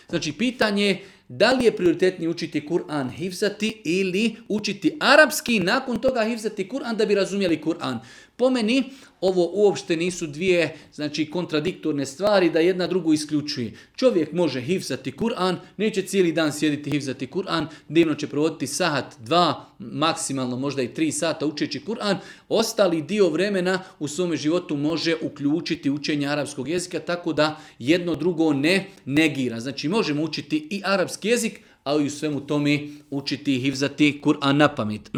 Znači, pitanje je da li je prioritetnije učiti Kur'an hifzati ili učiti arapski, nakon toga hifzati Kur'an da bi razumjeli Kur'an. Po meni, ovo uopšte nisu dvije, znači, kontradiktorne stvari da jedna drugu isključuje. Čovjek može hifzati Kur'an, neće cijeli dan sjediti hifzati Kur'an, dnevno će provoditi sat, 2, maksimalno možda i 3 sata učeći Kur'an. Ostali dio vremena u svome životu može uključiti učenje arapskog jezika, tako da jedno drugo ne negira. Znači, možemo učiti i arapski jezik, ali u svemu tome učiti i hifzati Kur'an na pamet.